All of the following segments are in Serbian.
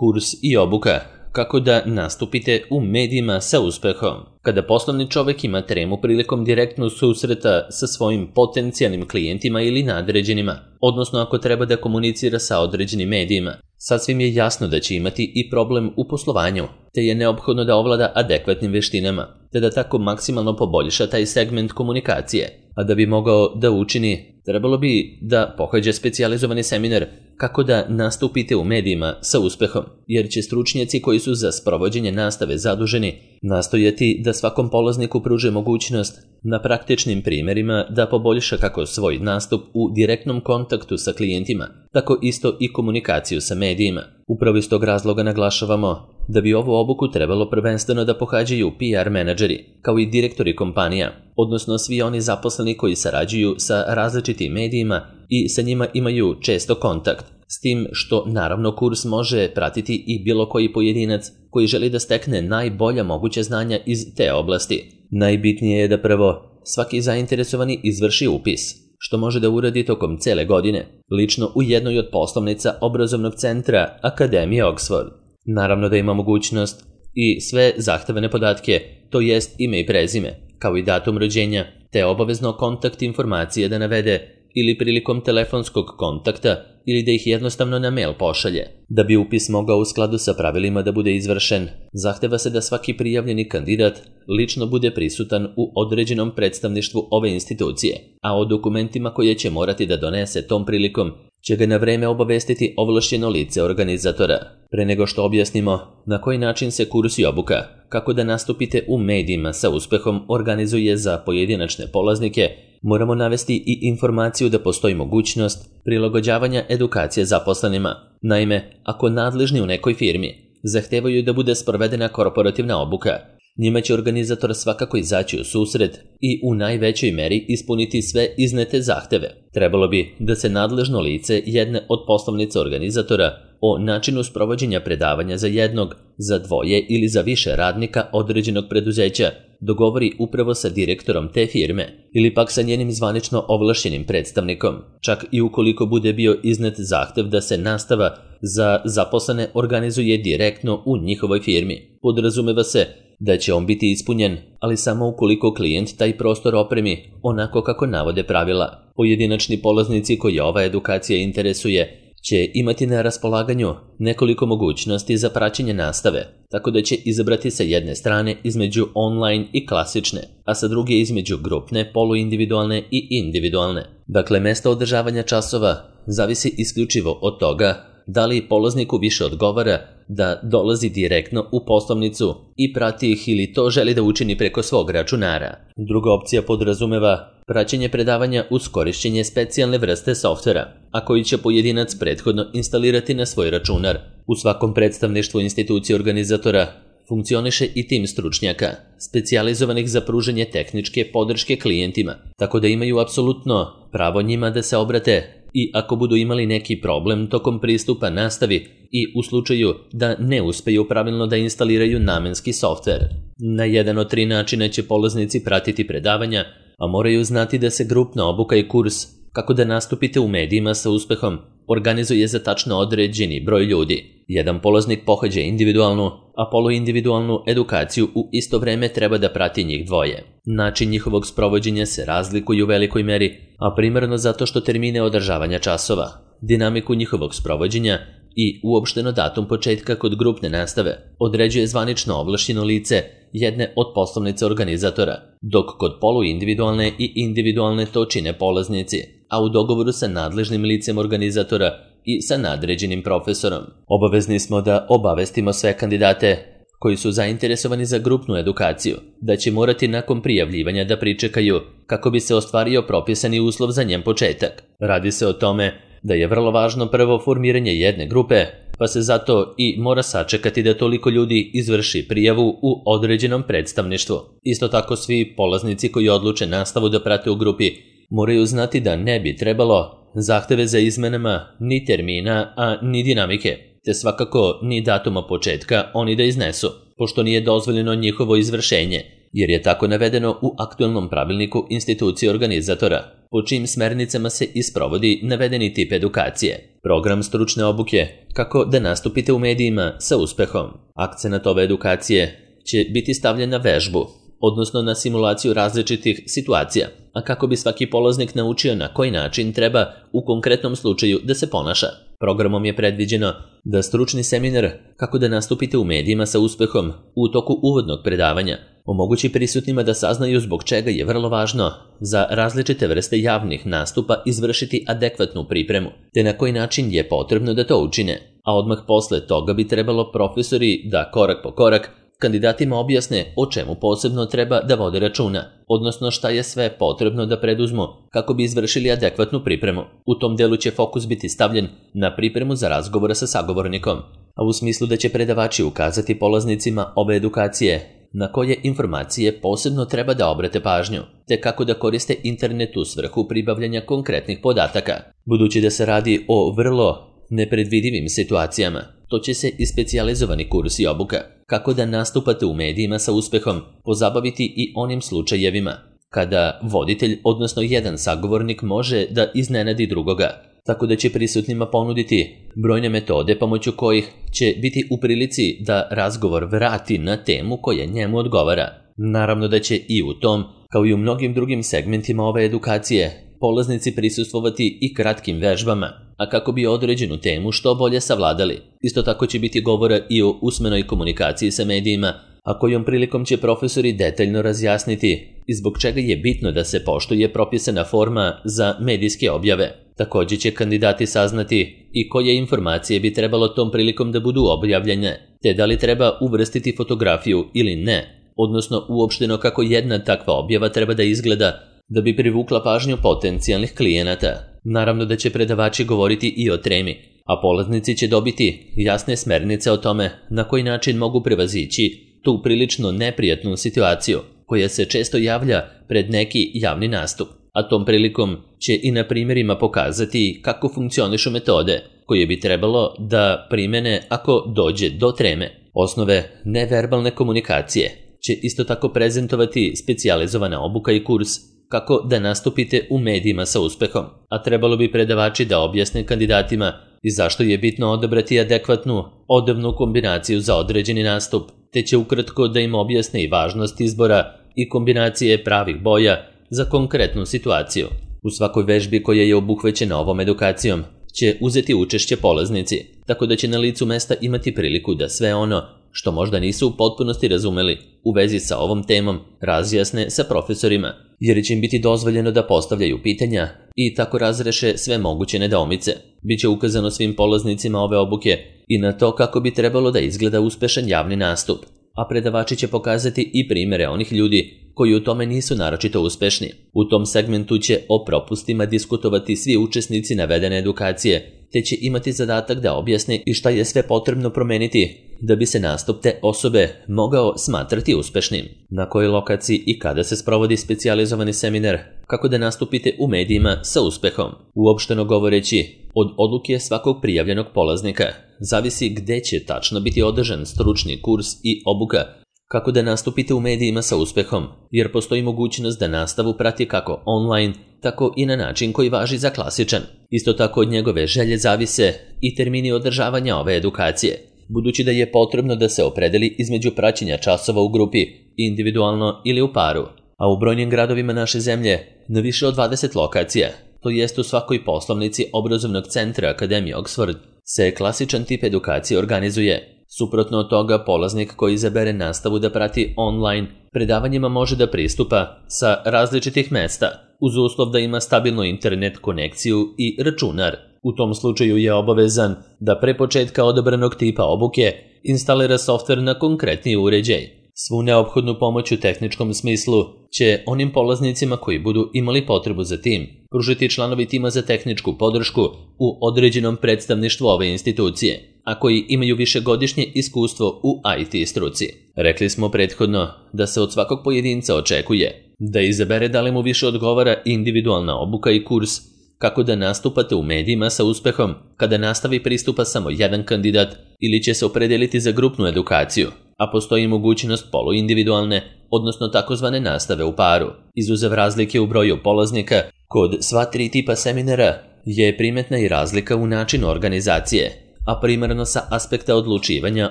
Kurs i obuka. Kako da nastupite u medijima sa uspehom. Kada poslovni čovek ima tremu prilikom direktnog susreta sa svojim potencijalnim klijentima ili nadređenima, odnosno ako treba da komunicira sa određenim medijima, sasvim je jasno da će imati i problem u poslovanju, te je neophodno da ovlada adekvatnim veštinama, te da tako maksimalno poboljša taj segment komunikacije. A da bi mogao da učini, trebalo bi da pohađa specijalizovani seminar kako da nastupite u medijima sa uspehom, jer će stručnjaci koji su za sprovođenje nastave zaduženi nastojati da svakom polazniku pruže mogućnost na praktičnim primjerima da poboljša kako svoj nastup u direktnom kontaktu sa klijentima, tako isto i komunikaciju sa medijima. Upravo iz tog razloga naglašavamo da bi ovu obuku trebalo prvenstveno da pohađaju PR menadžeri, kao i direktori kompanija, odnosno svi oni zaposleni koji sarađuju sa različitim medijima i sa njima imaju često kontakt, s tim što naravno kurs može pratiti i bilo koji pojedinac koji želi da stekne najbolja moguća znanja iz te oblasti. Najbitnije je da prvo svaki zainteresovani izvrši upis, što može da uradi tokom cele godine, lično u jednoj od poslovnica obrazovnog centra Akademije Oxford. Naravno da ima mogućnost i sve zahtevane podatke, to jest ime i prezime, kao i datum rođenja, te obavezno kontakt informacije da navede ili prilikom telefonskog kontakta ili da ih jednostavno na mail pošalje. Da bi upis mogao u skladu sa pravilima da bude izvršen, zahteva se da svaki prijavljeni kandidat lično bude prisutan u određenom predstavništvu ove institucije, a o dokumentima koje će morati da donese tom prilikom će ga na vreme obavestiti ovlašćeno lice organizatora. Pre nego što objasnimo na koji način se kurs i obuka kako da nastupite u medijima sa uspehom organizuje za pojedinačne polaznike, moramo navesti i informaciju da postoji mogućnost prilagođavanja edukacije zaposlenima. Naime, ako nadležni u nekoj firmi zahtevaju da bude sprovedena korporativna obuka, njima će organizator svakako izaći u susret i u najvećoj meri ispuniti sve iznete zahteve. Trebalo bi da se nadležno lice jedne od poslovnica organizatora o načinu sprovođenja predavanja za jednog, za dvoje ili za više radnika određenog preduzeća dogovori upravo sa direktorom te firme ili pak sa njenim zvanično ovlašćenim predstavnikom, čak i ukoliko bude bio iznet zahtev da se nastava za zaposlene organizuje direktno u njihovoj firmi. Podrazumeva se da će on biti ispunjen, ali samo ukoliko klijent taj prostor opremi onako kako navode pravila. Pojedinačni polaznici koji ova edukacija interesuje će imati na raspolaganju nekoliko mogućnosti za praćenje nastave, tako da će izabrati sa jedne strane između online i klasične, a sa druge između grupne, poluindividualne i individualne. Dakle, mesto održavanja časova zavisi isključivo od toga da li polazniku više odgovara da dolazi direktno u poslovnicu i prati ih ili to želi da učini preko svog računara. Druga opcija podrazumeva praćenje predavanja uz korišćenje specijalne vrste softvera, a koji će pojedinac prethodno instalirati na svoj računar. U svakom predstavništvu institucije organizatora funkcioniše i tim stručnjaka, specijalizovanih za pružanje tehničke podrške klijentima, tako da imaju apsolutno pravo njima da se obrate i ako budu imali neki problem tokom pristupa nastavi i u slučaju da ne uspeju pravilno da instaliraju namenski softver. Na jedan od 3 načina će polaznici pratiti predavanja, a moraju znati da se grupna obuka i kurs kako da nastupite u medijima sa uspehom organizuje za tačno određeni broj ljudi. Jedan polaznik pohađa individualnu, a poluindividualnu edukaciju u isto vreme treba da prati njih dvoje. Način njihovog sprovođenja se razlikuje u velikoj meri, a primarno zato što termine održavanja časova, dinamiku njihovog sprovođenja i uopšteno datum početka kod grupne nastave određuje zvanično ovlašćeno lice jedne od poslovnice organizatora, dok kod poluindividualne i individualne to čine polaznici, a u dogovoru sa nadležnim licem organizatora i sa nadređenim profesorom. Obavezni smo da obavestimo sve kandidate koji su zainteresovani za grupnu edukaciju da će morati nakon prijavljivanja da pričekaju kako bi se ostvario propisani uslov za njen početak. Radi se o tome da je vrlo važno prvo formiranje jedne grupe, pa se zato i mora sačekati da toliko ljudi izvrši prijavu u određenom predstavništvu. Isto tako svi polaznici koji odluče nastavu da prate u grupi moraju znati da ne bi trebalo zahteve za izmenama ni termina, a ni dinamike, te svakako ni datuma početka oni da iznesu, pošto nije dozvoljeno njihovo izvršenje, jer je tako navedeno u aktualnom pravilniku institucije organizatora. po čijim smernicama se isprovodi navedeni tip edukacije. Program stručne obuke kako da nastupite u medijima sa uspehom. Akcenat ove edukacije će biti stavljen na vežbu, odnosno na simulaciju različitih situacija, a kako bi svaki polaznik naučio na koji način treba u konkretnom slučaju da se ponaša. Programom je predviđeno da stručni seminar kako da nastupite u medijima sa uspehom u toku uvodnog predavanja omogući prisutnima da saznaju zbog čega je vrlo važno za različite vrste javnih nastupa izvršiti adekvatnu pripremu, te na koji način je potrebno da to učine, a odmah posle toga bi trebalo profesori da korak po korak kandidatima objasne o čemu posebno treba da vode računa, odnosno šta je sve potrebno da preduzmu kako bi izvršili adekvatnu pripremu. U tom delu će fokus biti stavljen na pripremu za razgovora sa sagovornikom, a u smislu da će predavači ukazati polaznicima ove edukacije na koje informacije posebno treba da obrate pažnju, te kako da koriste internet u svrhu pribavljanja konkretnih podataka. Budući da se radi o vrlo nepredvidivim situacijama, to će se i specijalizovani kurs i obuka kako da nastupate u medijima sa uspehom pozabaviti i onim slučajevima kada voditelj, odnosno jedan sagovornik, može da iznenadi drugoga, tako da će prisutnima ponuditi brojne metode pomoću kojih će biti u prilici da razgovor vrati na temu koja njemu odgovara. Naravno da će i u tom, kao i u mnogim drugim segmentima ove edukacije, polaznici prisustvovati i kratkim vežbama, a kako bi određenu temu što bolje savladali. Isto tako će biti govora i o usmenoj komunikaciji sa medijima, a kojom prilikom će profesori detaljno razjasniti i zbog čega je bitno da se poštuje propisana forma za medijske objave. Također će kandidati saznati i koje informacije bi trebalo tom prilikom da budu objavljene, te da li treba uvrstiti fotografiju ili ne, odnosno uopšteno kako jedna takva objava treba da izgleda da bi privukla pažnju potencijalnih klijenata. Naravno da će predavači govoriti i o temi, a polaznici će dobiti jasne smernice o tome na koji način mogu prevazići tu prilično neprijatnu situaciju koja se često javlja pred neki javni nastup, a tom prilikom će i na primjerima pokazati kako funkcionišu metode koje bi trebalo da primene ako dođe do treme. Osnove neverbalne komunikacije će isto tako prezentovati specijalizovana obuka i kurs kako da nastupite u medijima sa uspehom, a trebalo bi predavači da objasne kandidatima i zašto je bitno odabrati adekvatnu odevnu kombinaciju za određeni nastup, te će ukratko da im objasne i važnost izbora i kombinacije pravih boja za konkretnu situaciju. U svakoj vežbi koja je obuhvaćena ovom edukacijom će uzeti učešće polaznici, tako da će na licu mesta imati priliku da sve ono što možda nisu u potpunosti razumeli u vezi sa ovom temom razjasne sa profesorima, jer će im biti dozvoljeno da postavljaju pitanja i tako razreše sve moguće nedoumice. Biće ukazano svim polaznicima ove obuke i na to kako bi trebalo da izgleda uspešan javni nastup, a predavači će pokazati i primere onih ljudi koji u tome nisu naročito uspešni. U tom segmentu će o propustima diskutovati svi učesnici navedene edukacije, te će imati zadatak da objasne i šta je sve potrebno promeniti da bi se nastup te osobe mogao smatrati uspešnim. Na kojoj lokaciji i kada se sprovodi specijalizovani seminar kako da nastupite u medijima sa uspehom. Uopšteno govoreći, od odluke svakog prijavljenog polaznika zavisi gde će tačno biti održan stručni kurs i obuka kako da nastupite u medijima sa uspehom, jer postoji mogućnost da nastavu prati kako online, tako i na način koji važi za klasičan. Isto tako od njegove želje zavise i termini održavanja ove edukacije, budući da je potrebno da se opredeli između praćenja časova u grupi, individualno ili u paru, a u brojnim gradovima naše zemlje na više od 20 lokacija, to jest u svakoj poslovnici obrazovnog centra Akademije Oxford, se klasičan tip edukacije organizuje. Suprotno od toga, polaznik koji izabere nastavu da prati online predavanjima može da pristupa sa različitih mesta, uz uslov da ima stabilnu internet konekciju i računar. U tom slučaju je obavezan da pre početka odabranog tipa obuke instalira softver na konkretni uređaj. Svu neophodnu pomoć u tehničkom smislu će onim polaznicima koji budu imali potrebu za tim pružiti članovi tima za tehničku podršku u određenom predstavništvu ove institucije, a koji imaju višegodišnje iskustvo u IT struci. Rekli smo prethodno da se od svakog pojedinca očekuje da izabere da li mu više odgovara individualna obuka i kurs kako da nastupate u medijima sa uspehom kada nastavi pristupa samo jedan kandidat ili će se opredeliti za grupnu edukaciju, a postoji mogućnost poluindividualne, odnosno takozvane nastave u paru. Izuzev razlike u broju polaznika, Kod sva tri tipa seminara je primetna i razlika u načinu organizacije, a primarno sa aspekta odlučivanja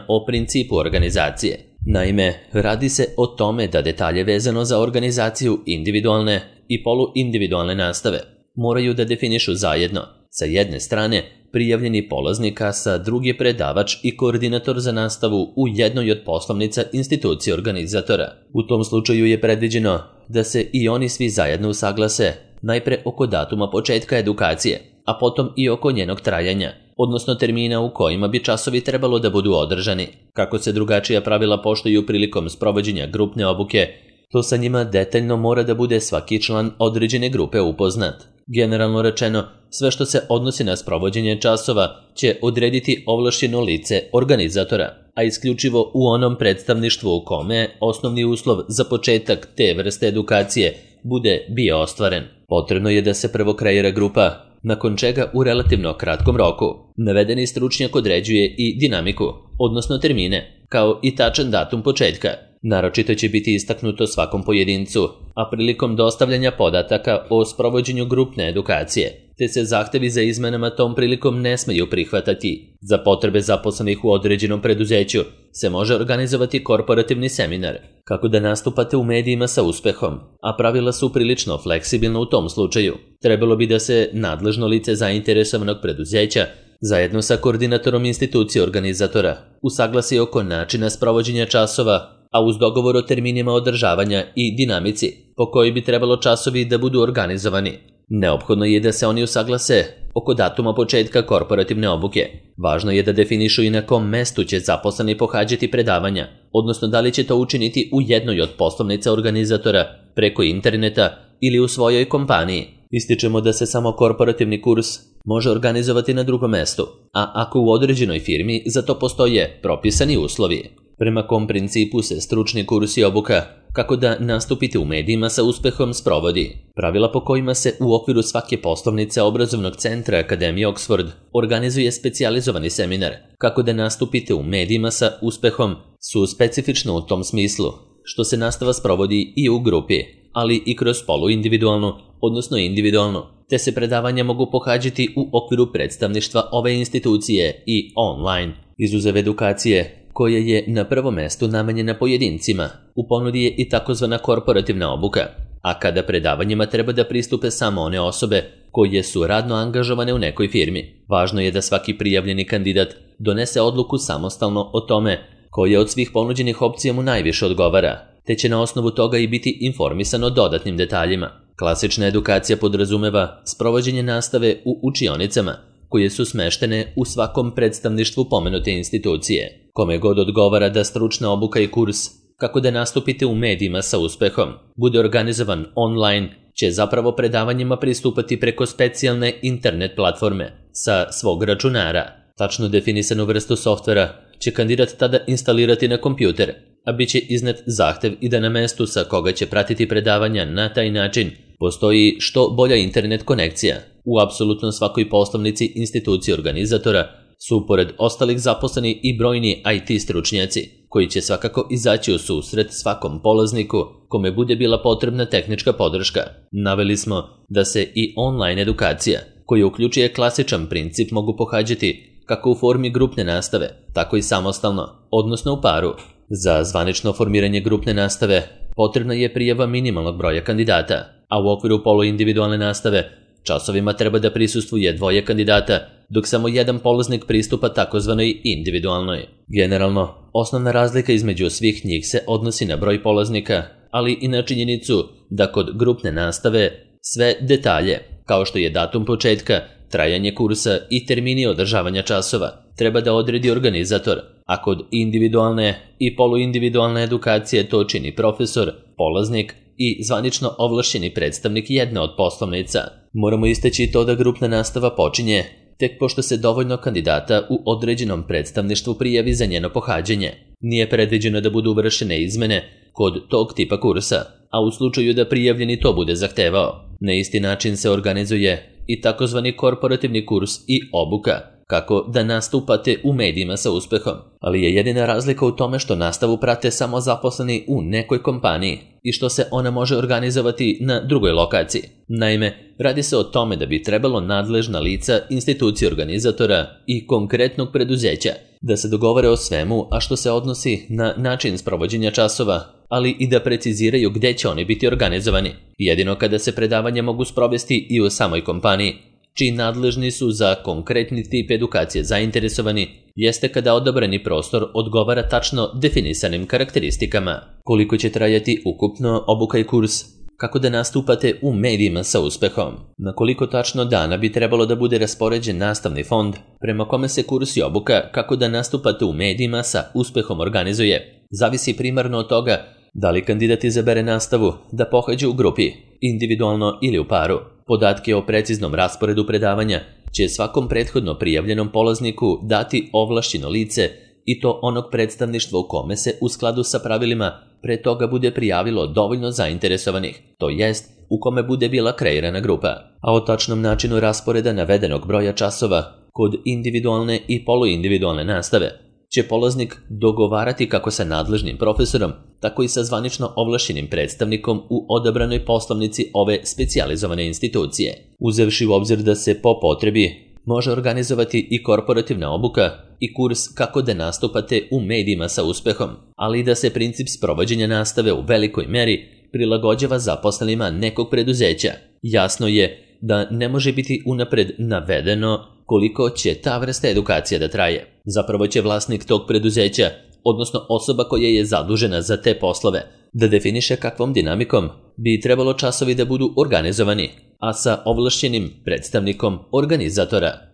o principu organizacije. Naime, radi se o tome da detalje vezano za organizaciju individualne i poluindividualne nastave moraju da definišu zajedno, sa jedne strane, prijavljeni polaznik, a sa druge predavač i koordinator za nastavu u jednoj od poslovnica institucije organizatora. U tom slučaju je predviđeno da se i oni svi zajedno usaglase najpre oko datuma početka edukacije, a potom i oko njenog trajanja, odnosno termina u kojima bi časovi trebalo da budu održani. Kako se drugačija pravila poštuju prilikom sprovođenja grupne obuke, to sa njima detaljno mora da bude svaki član određene grupe upoznat. Generalno rečeno, sve što se odnosi na sprovođenje časova će odrediti ovlašćeno lice organizatora, a isključivo u onom predstavništvu u kome osnovni uslov za početak te vrste edukacije bude bio ostvaren. Potrebno je da se prvo kreira grupa, nakon čega u relativno kratkom roku navedeni stručnjak određuje i dinamiku, odnosno termine, kao i tačan datum početka. Naročito će biti istaknuto svakom pojedincu, a prilikom dostavljanja podataka o sprovođenju grupne edukacije, te se zahtevi za izmenama tom prilikom ne smeju prihvatati. Za potrebe zaposlenih u određenom preduzeću se može organizovati korporativni seminar, kako da nastupate u medijima sa uspehom, a pravila su prilično fleksibilna u tom slučaju. Trebalo bi da se nadležno lice zainteresovanog preduzeća zajedno sa koordinatorom institucije organizatora usaglasi oko načina sprovođenja časova, a uz dogovor o terminima održavanja i dinamici po kojoj bi trebalo časovi da budu organizovani. Neophodno je da se oni usaglase oko datuma početka korporativne obuke. Važno je da definišu i na kom mestu će zaposleni pohađati predavanja, odnosno da li će to učiniti u jednoj od poslovnica organizatora, preko interneta ili u svojoj kompaniji. Ističemo da se samo korporativni kurs može organizovati na drugom mestu, a ako u određenoj firmi za to postoje propisani uslovi. Prema kom principu se stručni kurs i obuka kako da nastupite u medijima sa uspehom sprovodi. Pravila po kojima se u okviru svake poslovnice obrazovnog centra Akademije Oxford organizuje specijalizovani seminar kako da nastupite u medijima sa uspehom su specifično u tom smislu što se nastava sprovodi i u grupi, ali i kroz poluindividualnu, odnosno individualnu, te se predavanja mogu pohađati u okviru predstavništva ove institucije i online. Izuzev edukacije koja je na prvom mestu namenjena pojedincima, u ponudi je i takozvana korporativna obuka, a kada predavanjima treba da pristupe samo one osobe koje su radno angažovane u nekoj firmi. Važno je da svaki prijavljeni kandidat donese odluku samostalno o tome koja od svih ponuđenih opcija mu najviše odgovara, te će na osnovu toga i biti informisan o dodatnim detaljima. Klasična edukacija podrazumeva sprovođenje nastave u učionicama, koje su smeštene u svakom predstavništvu pomenute institucije. Kome god odgovara da stručna obuka i kurs, kako da nastupite u medijima sa uspehom, bude organizovan online, će zapravo predavanjima pristupati preko specijalne internet platforme sa svog računara. Tačno definisanu vrstu softvera će kandidat tada instalirati na kompjuter, a bit će iznet zahtev i da na mestu sa koga će pratiti predavanja na taj način postoji što bolja internet konekcija. U apsolutno svakoj poslovnici institucije organizatora su pored ostalih zaposleni i brojni IT stručnjaci, koji će svakako izaći u susret svakom polazniku kome bude bila potrebna tehnička podrška. Naveli smo da se i online edukacija, koja uključuje klasičan princip, mogu pohađati kako u formi grupne nastave, tako i samostalno, odnosno u paru. Za zvanično formiranje grupne nastave potrebna je prijava minimalnog broja kandidata, a u okviru poluindividualne nastave časovima treba da prisustvuje 2 kandidata, dok samo jedan polaznik pristupa takozvanoj individualnoj. Generalno, osnovna razlika između svih njih se odnosi na broj polaznika, ali i na činjenicu da kod grupne nastave sve detalje, kao što je datum početka, trajanje kursa i termini održavanja časova, treba da odredi organizator, a kod individualne i poluindividualne edukacije to čini profesor, polaznik i zvanično ovlašćeni predstavnik jedne od poslovnica. Moramo istaći to da grupna nastava počinje tek pošto se dovoljno kandidata u određenom predstavništvu prijavi za njeno pohađanje. Nije predviđeno da budu vršene izmene kod tog tipa kursa, a u slučaju da prijavljeni to bude zahtevao. Na isti način se organizuje i takozvani korporativni kurs i obuka, kako da nastupate u medijima sa uspehom, ali je jedina razlika u tome što nastavu prate samo zaposleni u nekoj kompaniji i što se ona može organizovati na drugoj lokaciji. Naime, radi se o tome da bi trebalo nadležna lica, institucije organizatora i konkretnog preduzeća da se dogovore o svemu, a što se odnosi na način sprovođenja časova, ali i da preciziraju gde će oni biti organizovani. Jedino kada se predavanja mogu sprovesti i u samoj kompaniji, čiji nadležni su za konkretni tip edukacije zainteresovani, jeste kada odabrani prostor odgovara tačno definisanim karakteristikama. Koliko će trajati ukupno obuka i kurs? Kako da nastupate u medijima sa uspehom? Na koliko tačno dana bi trebalo da bude raspoređen nastavni fond prema kome se kurs i obuka kako da nastupate u medijima sa uspehom organizuje? Zavisi primarno od toga da li kandidat izabere nastavu da pohađa u grupi, individualno ili u paru. Podatke o preciznom rasporedu predavanja će svakom prethodno prijavljenom polazniku dati ovlašćeno lice i to onog predstavništva u kome se u skladu sa pravilima pre toga bude prijavilo dovoljno zainteresovanih, to jest u kome bude bila kreirana grupa. A o tačnom načinu rasporeda navedenog broja časova kod individualne i poluindividualne nastave će polaznik dogovarati kako sa nadležnim profesorom, tako i sa zvanično ovlašćenim predstavnikom u odabranoj poslovnici ove specijalizovane institucije. Uzevši u obzir da se po potrebi može organizovati i korporativna obuka i kurs kako da nastupate u medijima sa uspehom, ali i da se princip sprovođenja nastave u velikoj meri prilagođava zaposlenima nekog preduzeća. Jasno je da ne može biti unapred navedeno koliko će ta vrsta edukacija da traje. Zapravo će vlasnik tog preduzeća, odnosno osoba koja je zadužena za te poslove, da definiše kakvom dinamikom bi trebalo časovi da budu organizovani, a sa ovlašćenim predstavnikom organizatora